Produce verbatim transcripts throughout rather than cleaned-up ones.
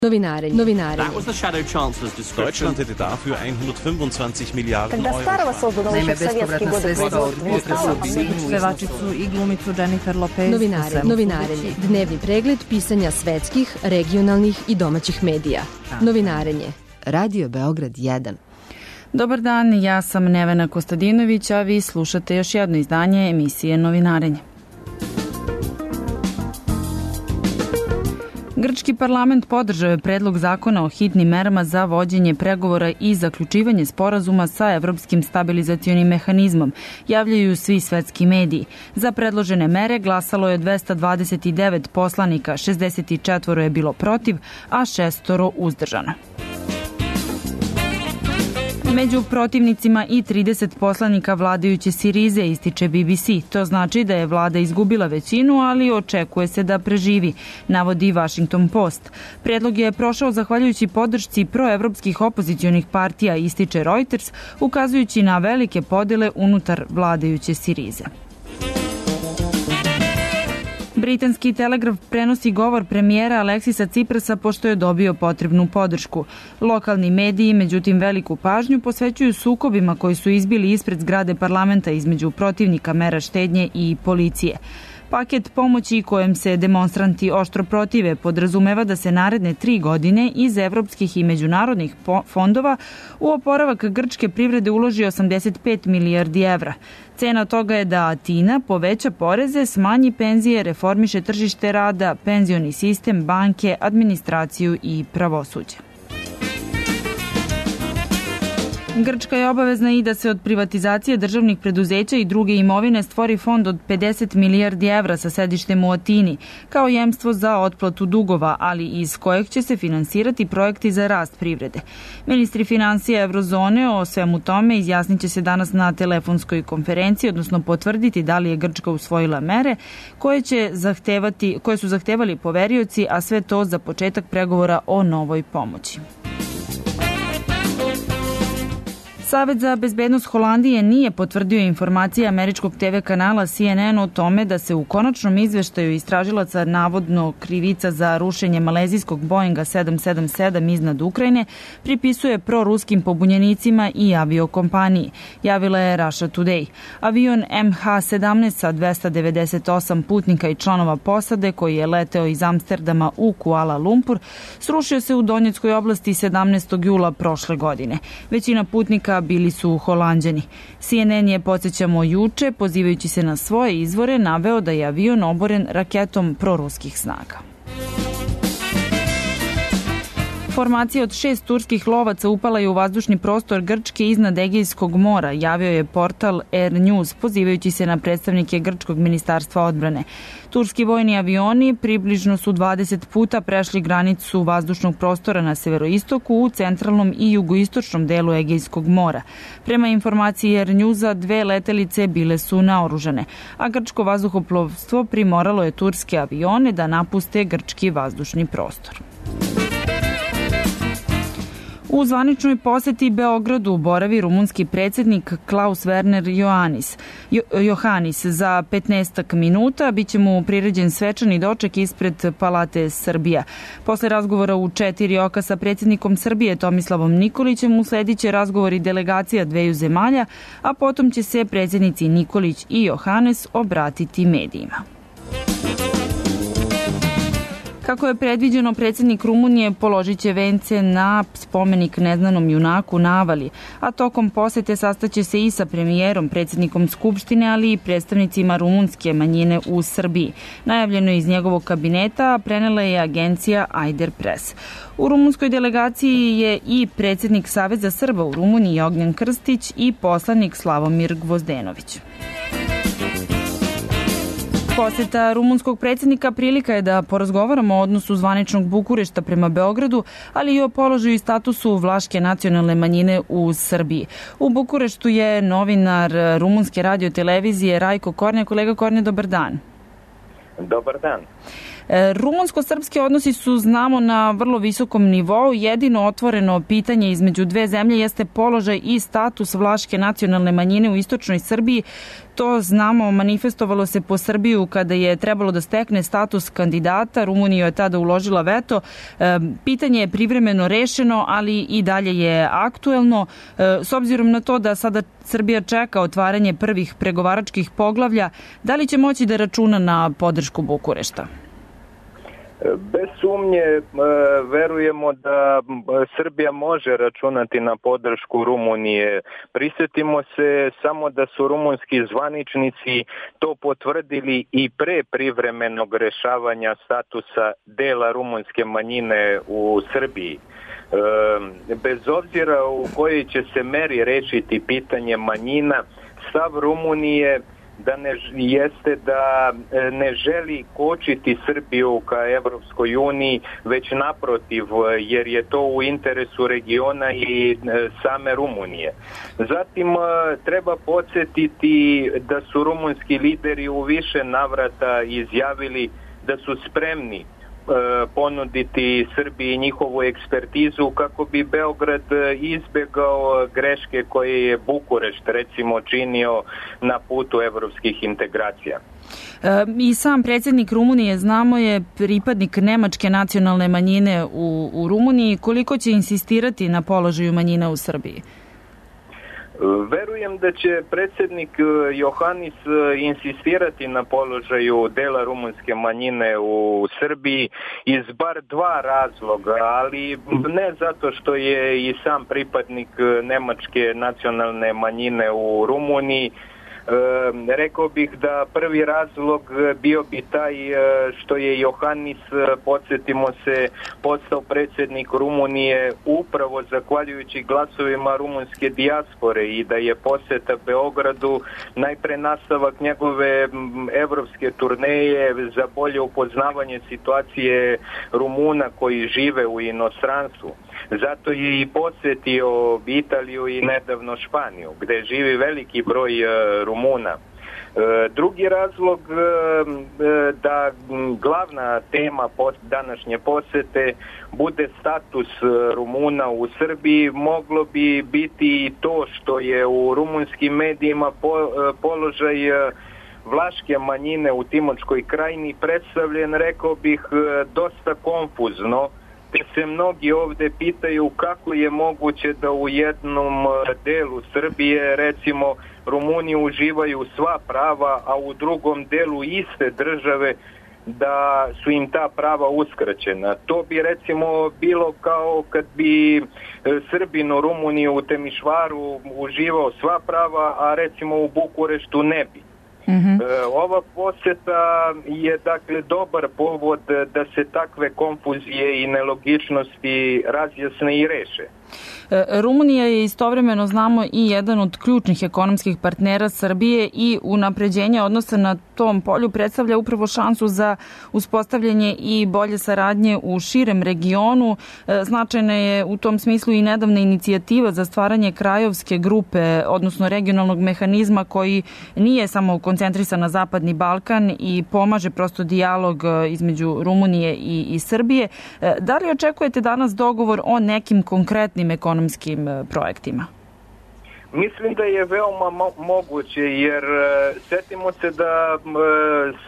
Novinarenje. Novinarenje. Deutschland hätte dafür hundertfünfundzwanzig Milliarden Euro. Naime, bespovratna sredstva od potresa u Sinju. Pevačicu i glumicu Jennifer Lopez. Novinarenje. Novinarenje. Dnevni pregled pisanja svetskih, regionalnih i domaćih medija. Novinarenje. Radio Beograd jedan. Dobar dan, ja sam Nevena Kostadinović, a vi slušate još jedno izdanje emisije Novinarenje. Grčki parlament podržao je predlog zakona o hitnim merama za vođenje pregovora i zaključivanje sporazuma sa Evropskim stabilizacionim mehanizmom, javljaju svi svetski mediji. Za predložene mere glasalo je dvesta dvadeset devet poslanika, šezdeset četiri je bilo protiv, a šestoro uzdržano. Među protivnicima i trideset poslanika vladajuće Sirize, ističe B B C. To znači da je vlada izgubila većinu, ali očekuje se da preživi, navodi Washington Post. Predlog je prošao zahvaljujući podršci proevropskih opozicionih partija, ističe Reuters, ukazujući na velike podele unutar vladajuće Sirize. Britanski Telegraf prenosi govor premijera Aleksisa Ciprasa pošto je dobio potrebnu podršku. Lokalni mediji, međutim, veliku pažnju posvećuju sukobima koji su izbili ispred zgrade parlamenta između protivnika mera štednje i policije. Paket pomoći kojem se demonstranti oštro protive podrazumeva da se naredne tri godine iz evropskih i međunarodnih fondova u oporavak grčke privrede uloži osamdeset pet milijardi evra. Cena toga je da Atina poveća poreze, smanji penzije, reformiše tržište rada, penzioni sistem, banke, administraciju i pravosuđe. Grčka je obavezna i da se od privatizacije državnih preduzeća i druge imovine stvori fond od pedeset milijardi evra sa sedištem u Atini, kao jemstvo za otplatu dugova, ali iz kojeg će se finansirati projekti za rast privrede. Ministri financija Evrozone o svemu tome izjasnit će se danas na telefonskoj konferenciji, odnosno potvrditi da li je Grčka usvojila mere koje, će zahtevati, koje su zahtevali poverioci, a sve to za početak pregovora o novoj pomoći. Savet za bezbednost Holandije nije potvrdio informacije američkog te ve kanala C N N o tome da se u konačnom izveštaju istražilaca navodno krivica za rušenje malezijskog Boeinga sedam sedam sedam iznad Ukrajine pripisuje proruskim pobunjenicima i aviokompaniji, javila je Russia Today. Avion M H sedamnaest sa dvesta devedeset osam putnika i članova posade koji je leteo iz Amsterdama u Kuala Lumpur srušio se u Donjeckoj oblasti sedamnaestog jula prošle godine. Većina putnika bili su Holanđani. C N N je, podsjećamo, juče, pozivajući se na svoje izvore, naveo da je avion oboren raketom proruskih snaga. Formacija od šest turskih lovaca upala je u vazdušni prostor Grčke iznad Egejskog mora, javio je portal Air News, pozivajući se na predstavnike Grčkog ministarstva odbrane. Turski vojni avioni približno su dvadeset puta prešli granicu vazdušnog prostora na severoistoku u centralnom i jugoistočnom delu Egejskog mora. Prema informaciji Air Newsa, dve letelice bile su naoružane, a grčko vazduhoplovstvo primoralo je turske avione da napuste grčki vazdušni prostor. U zvaničnoj poseti Beogradu boravi rumunski predsjednik Klaus Werner Iohannis. Jo, Iohannis za petnaestak minuta biće mu priređen svečani doček ispred Palate Srbija. Posle razgovora u četiri oka sa predsjednikom Srbije Tomislavom Nikolićem usledit će razgovori delegacija dveju zemalja, a potom će se predsjednici Nikolić i Iohannis obratiti medijima. Kako je predviđeno, predsjednik Rumunije položit će vence na spomenik neznanom junaku na Avali, a tokom posete sastaće se i sa premijerom, predsjednikom Skupštine, ali i predstavnicima rumunske manjine u Srbiji. Najavljeno je iz njegovog kabineta, a prenela je agencija Ajder Press. U rumunskoj delegaciji je i predsjednik Saveza Srba u Rumuniji Ognjen Krstić i poslanik Slavomir Gvozdenović. Poseta rumunskog predsjednika prilika je da porazgovaramo o odnosu zvaničnog Bukurešta prema Beogradu, ali i o položaju i statusu vlaške nacionalne manjine u Srbiji. U Bukureštu je novinar rumunske radiotelevizije Rajko Kornja. Kolega Kornja, dobar dan. Dobar dan. Rumunsko-srpski odnosi su, znamo, na vrlo visokom nivou. Jedino otvoreno pitanje između dve zemlje jeste položaj i status vlaške nacionalne manjine u istočnoj Srbiji. To, znamo, manifestovalo se po Srbiju kada je trebalo da stekne status kandidata. Rumunija je tada uložila veto. Pitanje je privremeno rešeno, ali i dalje je aktuelno. S obzirom na to da sada Srbija čeka otvaranje prvih pregovaračkih poglavlja, da li će moći da računa na podršku Bukurešta? Bez sumnje verujemo da Srbija može računati na podršku Rumunije. Prisjetimo se samo da su rumunski zvaničnici to potvrdili i pre privremenog rešavanja statusa dela rumunske manjine u Srbiji. Bez obzira u kojoj će se meri rešiti pitanje manjina, stav Rumunije da ne, jeste da ne želi kočiti Srbiju ka Evropskoj uniji, već naprotiv, jer je to u interesu regiona i same Rumunije. Zatim treba podsjetiti da su rumunski lideri u više navrata izjavili da su spremni ponuditi Srbiji njihovu ekspertizu kako bi Beograd izbegao greške koje je Bukurešt recimo činio na putu evropskih integracija. I sam predsjednik Rumunije, znamo, je pripadnik nemačke nacionalne manjine u, u Rumuniji. Koliko će insistirati na položaju manjina u Srbiji? Verujem da će predsjednik Johanis insistirati na položaju dela rumunske manjine u Srbiji iz bar dva razloga, ali ne zato što je i sam pripadnik nemačke nacionalne manjine u Rumuniji. E, rekao bih da prvi razlog bio bi taj što je Johanis, podsjetimo se, postao predsjednik Rumunije upravo zahvaljujući glasovima rumunske dijaspore i da je poseta Beogradu najpre nastavak njegove evropske turneje za bolje upoznavanje situacije Rumuna koji žive u inostranstvu. Zato je i posjetio Italiju i nedavno Španiju, gde živi veliki broj Rumuna. Drugi razlog da glavna tema današnje posete bude status Rumuna u Srbiji, moglo bi biti i to što je u rumunskim medijima položaj vlaške manjine u Timočkoj krajini predstavljen, rekao bih, dosta konfuzno, te se mnogi ovde pitaju kako je moguće da u jednom delu Srbije, recimo, Rumuni uživaju sva prava, a u drugom delu iste države da su im ta prava uskraćena. To bi recimo bilo kao kad bi Srbin u Rumuniji u Temišvaru uživao sva prava, a recimo u Bukureštu ne bi. Mm-hmm. Ova poseta je dakle dobar povod da se takve konfuzije i nelogičnosti razjasne i reše. Rumunija je istovremeno, znamo, i jedan od ključnih ekonomskih partnera Srbije i unapređenje odnosa na tom polju predstavlja upravo šansu za uspostavljanje i bolje saradnje u širem regionu. Značajna je u tom smislu i nedavna inicijativa za stvaranje krajovske grupe, odnosno regionalnog mehanizma koji nije samo koncentrisan na Zapadni Balkan i pomaže prosto dijalog između Rumunije i, i Srbije. Da li očekujete danas dogovor o nekim konkretnim ekonomskim projektima? Mislim da je veoma mo- moguće, jer e, setimo se da e,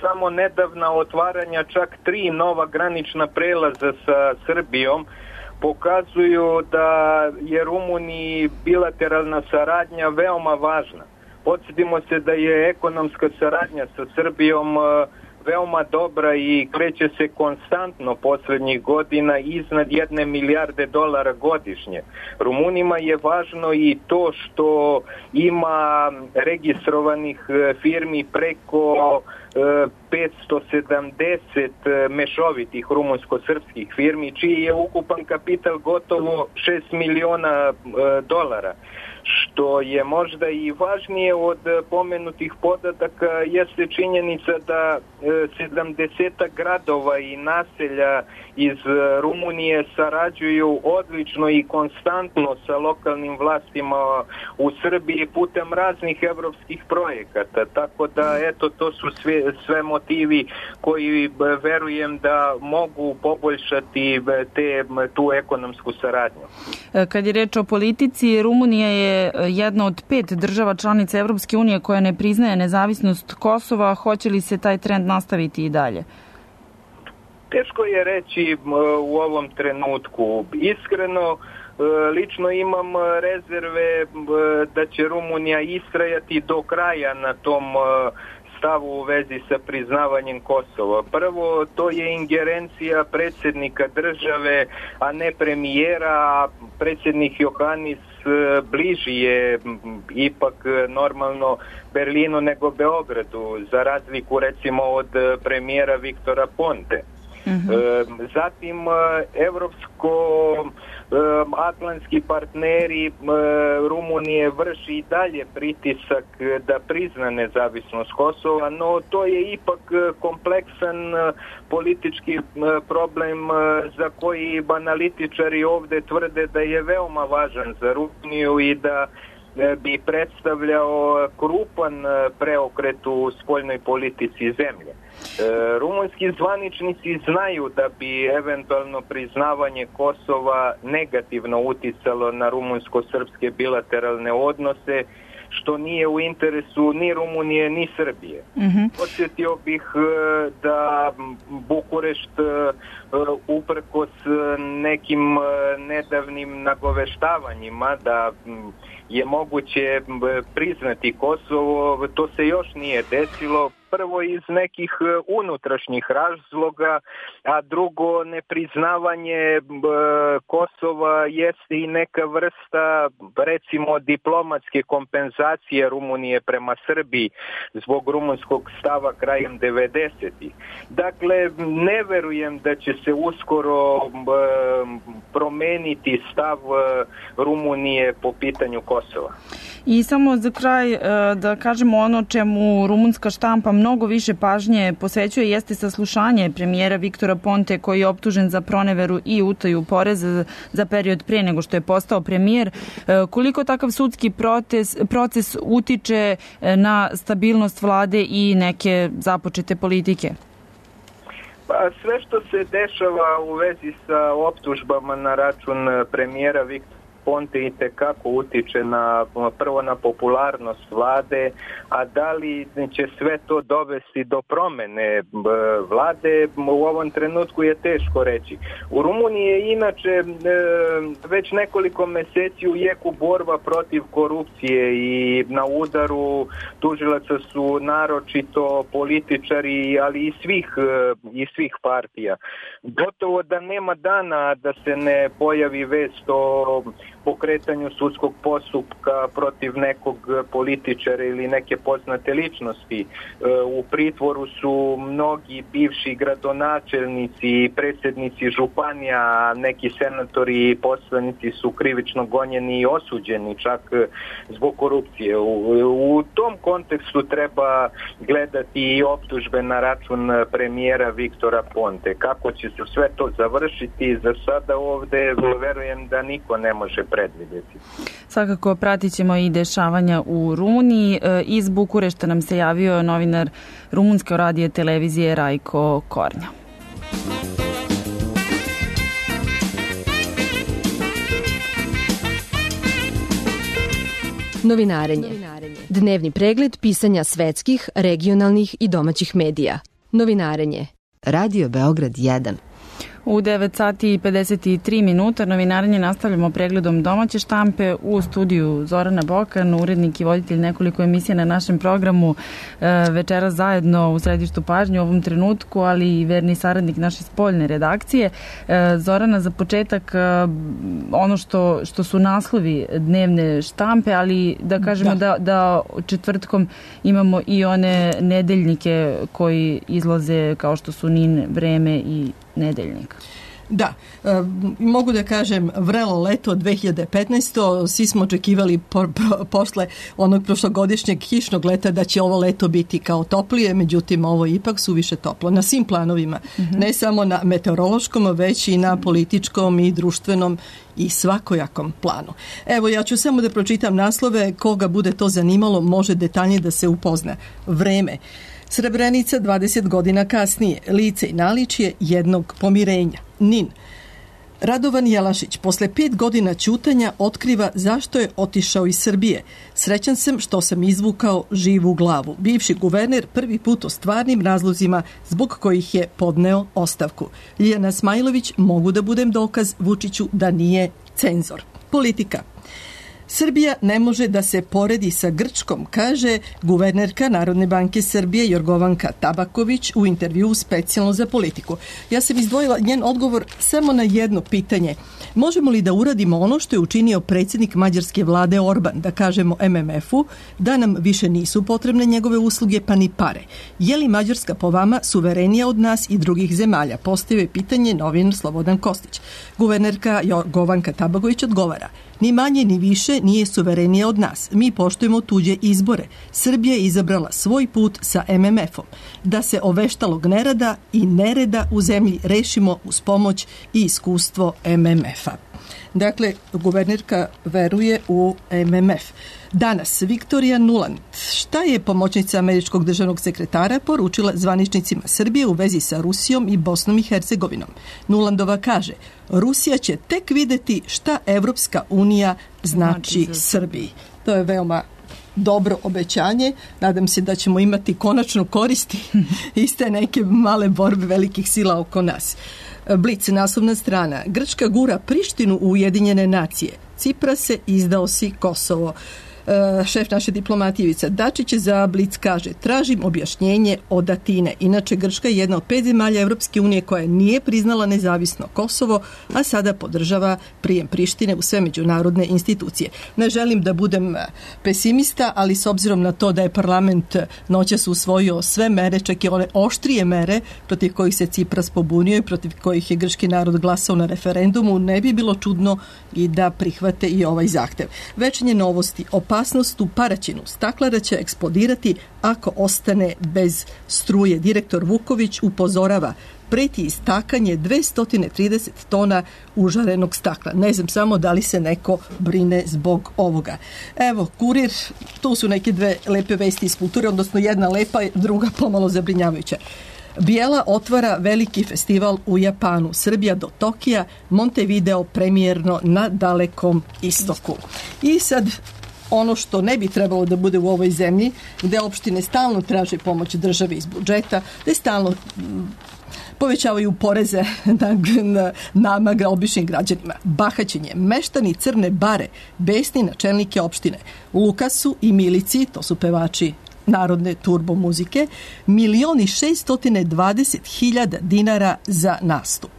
samo nedavna otvaranja čak tri nova granična prelaza sa Srbijom pokazuju da je Rumuniji bilateralna saradnja veoma važna. Podsjetimo se da je ekonomska saradnja sa Srbijom e, veoma dobra i kreće se konstantno poslednjih godina iznad jedne milijarde dolara godišnje. Rumunima je važno i to što ima registrovanih firmi preko petsto sedamdeset mešovitih rumunsko-srpskih firmi, čiji je ukupan kapital gotovo šest miliona dolara, što je možda i važnije od pomenutih podataka jeste činjenica da sedamdeset gradova i naselja iz Rumunije sarađuju odlično i konstantno sa lokalnim vlastima u Srbiji putem raznih evropskih projekata. Tako da, eto, to su sve, sve motivi koji verujem da mogu poboljšati te, tu ekonomsku saradnju. Kad je reč o politici, Rumunija je jedna od pet država članica Evropske unije koja ne priznaje nezavisnost Kosova. Hoće li se taj trend nastaviti i dalje? Teško je reći u ovom trenutku. Iskreno, lično imam rezerve da će Rumunija istrajati do kraja na tom stavu u vezi sa priznavanjem Kosova. Prvo, to je ingerencija predsjednika države, a ne premijera. Predsjednik Johannis bliži je ipak normalno Berlinu nego Beogradu, za razliku recimo od premijera Viktora Ponte. Mm-hmm. Zatim, evropsko-atlantski partneri Rumunije vrši i dalje pritisak da prizna nezavisnost Kosova, no to je ipak kompleksan politički problem za koji analitičari ovdje tvrde da je veoma važan za Rumuniju i da bi predstavljao krupan preokret u spoljnoj politici zemlje. Rumunski zvaničnici znaju da bi eventualno priznavanje Kosova negativno uticalo na rumunsko-srpske bilateralne odnose, što nije u interesu ni Rumunije ni Srbije. Mm-hmm. Podsjetio bih da Bukurešt uprkos nekim nedavnim nagoveštavanjima da je moguće priznati Kosovo, to se još nije desilo. Prvo iz nekih unutrašnjih razloga, a drugo, nepriznavanje Kosova jeste i neka vrsta, recimo, diplomatske kompenzacije Rumunije prema Srbiji zbog rumunskog stava krajem devedesetih. Dakle, ne verujem da će se uskoro promeniti stav Rumunije po pitanju Kosova. I samo za kraj da kažemo ono čemu rumunska štampa mnogo više pažnje posvećuje jeste saslušanje premijera Viktora Ponte, koji je optužen za proneveru i utaju poreza za period prije nego što je postao premijer. Koliko takav sudski proces, proces utiče na stabilnost vlade i neke započete politike? Pa sve što se dešava u vezi sa optužbama na račun premijera Viktora Ponte itekako utiče na, prvo na popularnost vlade, a da li će sve to dovesti do promene vlade, u ovom trenutku je teško reći. U Rumuniji je inače već nekoliko meseci u jeku borba protiv korupcije i na udaru tužilaca su naročito političari, ali i svih, i svih partija. Gotovo da nema dana da se ne pojavi vest o pokretanju sudskog postupka protiv nekog političara ili neke poznate ličnosti. U pritvoru su mnogi bivši gradonačelnici, predsjednici županija, neki senatori i poslanici su krivično gonjeni i osuđeni čak zbog korupcije. U, u tom kontekstu treba gledati i optužbe na račun premijera Viktora Ponte. Kako će se sve to završiti, za sada ovdje verujem da niko ne može predvidjeti. Svakako pratit ćemo i dešavanja u Rumuniji. Iz Bukurešta nam se javio novinar rumunske radije televizije Rajko Kornja. Novinarenje. Dnevni pregled pisanja svetskih, regionalnih i domaćih medija. Novinarenje. Radio Beograd jedan. U devet sati i pedeset tri minuta novinarenje nastavljamo pregledom domaće štampe. U studiju Zorana Bokan, urednik i voditelj nekoliko emisija na našem programu, večera zajedno u središtu pažnje u ovom trenutku, ali i verni saradnik naše spoljne redakcije. Zorana, za početak ono što, što su naslovi dnevne štampe, ali da kažemo da. Da, da četvrtkom imamo i one nedeljnike koji izlaze kao što su Nin, Vreme i Nedeljnik. Da, e, mogu da kažem vrelo leto dve hiljade petnaeste. Svi smo očekivali po, po, posle onog prošlogodišnjeg kišnog leta da će ovo leto biti kao toplije, međutim ovo je ipak suviše toplo na svim planovima, mm-hmm. ne samo na meteorološkom, već i na političkom i društvenom i svakojakom planu. Evo, ja ću samo da pročitam naslove, koga bude to zanimalo može detaljnije da se upozna. Vreme. Srebrenica dvadeset godina kasnije, lice i naličje jednog pomirenja. Nin. Radovan Jelašić posle pet godina ćutanja otkriva zašto je otišao iz Srbije. Srećan sam što sam izvukao živu glavu. Bivši guverner prvi put o stvarnim razlozima zbog kojih je podneo ostavku. Ljiljana Smajlović, mogu da budem dokaz Vučiću da nije cenzor. Politika. Srbija ne može da se poredi sa Grčkom, kaže guvernerka Narodne banke Srbije Jorgovanka Tabaković u intervjuu specijalno za Politiku. Ja sam izdvojila njen odgovor samo na jedno pitanje. Možemo li da uradimo ono što je učinio predsjednik mađarske vlade Orban, da kažemo em em efu, da nam više nisu potrebne njegove usluge pa ni pare? Je li Mađarska po vama suverenija od nas i drugih zemalja? Postavio pitanje novinar Slobodan Kostić. Guvernerka Jorgovanka Tabaković odgovara: ni manje ni više nije suverenija od nas. Mi poštujemo tuđe izbore. Srbija je izabrala svoj put sa em em efom. Da se oveštalog nerada i nereda u zemlji rešimo uz pomoć i iskustvo em em efa. Dakle, guvernerka veruje u em em ef. Danas, Viktorija Nuland, šta je pomoćnica američkog državnog sekretara poručila zvaničnicima Srbije u vezi sa Rusijom i Bosnom i Hercegovinom? Nulandova kaže: Rusija će tek videti šta Evropska unija znači Srbiji. To je veoma dobro obećanje. Nadam se da ćemo imati konačno koristi iste neke male borbe velikih sila oko nas. Blic, naslovna strana. Grčka gura Prištinu u Ujedinjene nacije. Ciprase, izdao si Kosovo. Uh, šef naše diplomatije Ivica Dačić za Blic kaže: tražim objašnjenje od Atine. Inače, Grčka je jedna od pet zemalja Evropske unije koja nije priznala nezavisno Kosovo, a sada podržava prijem Prištine u sve međunarodne institucije. Ne želim da budem pesimista, ali s obzirom na to da je parlament noćas usvojio sve mere, čak i one oštrije mere protiv kojih se Cipras pobunio i protiv kojih je grčki narod glasao na referendumu, ne bi bilo čudno i da prihvate i ovaj zahtev. Večernje novosti. Opasnost u Paraćinu. Staklara će eksplodirati ako ostane bez struje. Direktor Vuković upozorava: preti istakanje dvesta trideset tona užarenog stakla. Ne znam samo da li se neko brine zbog ovoga. Evo, Kurir, tu su neke dve lepe vesti iz kulture, odnosno jedna lepa, druga pomalo zabrinjavajuća. Bijela otvara veliki festival u Japanu. Srbija do Tokija, Montevideo premijerno na Dalekom istoku. I sad ono što ne bi trebalo da bude u ovoj zemlji, gde opštine stalno traže pomoć države iz budžeta, gde stalno povećavaju poreze na, na nama, običnim građanima. Bahaćenje. Meštani Crne Bare besni načelnike opštine. Lukasu i Milici, to su pevači narodne turbo muzike, milioni šeststotine dvadeset hiljada dinara za nastup.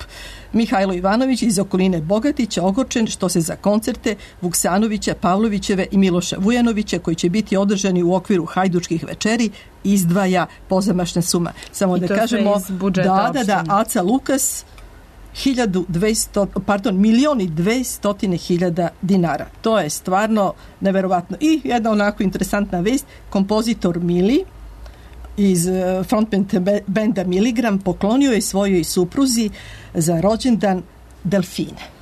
Mihajlo Ivanović iz okoline Bogatića ogorčen što se za koncerte Vuksanovića, Pavlovićeve i Miloša Vujanovića, koji će biti održani u okviru Hajdučkih večeri, izdvaja pozamašna suma. Samo I da kažemo, da, da, da, Aca Lukas, hiljadu dvesta, pardon, milioni dvestotine hiljada dinara. To je stvarno neverovatno. I jedna onako interesantna vest, kompozitor Mili iz frontman benda Miligram poklonio je svojoj supruzi za rođendan delfine.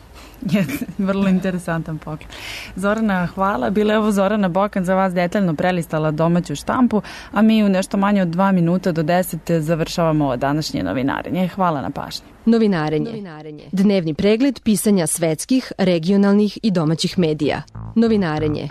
Je, vrlo interesantan poklon. Zorana, hvala. Bila je ovo Zorana Bokan za vas detaljno prelistala domaću štampu, a mi u nešto manje od dva minuta do deset završavamo ovo današnje novinarenje. Hvala na pažnji. Novinarenje. Novinarenje. Dnevni pregled pisanja svetskih, regionalnih i domaćih medija. Novinarenje.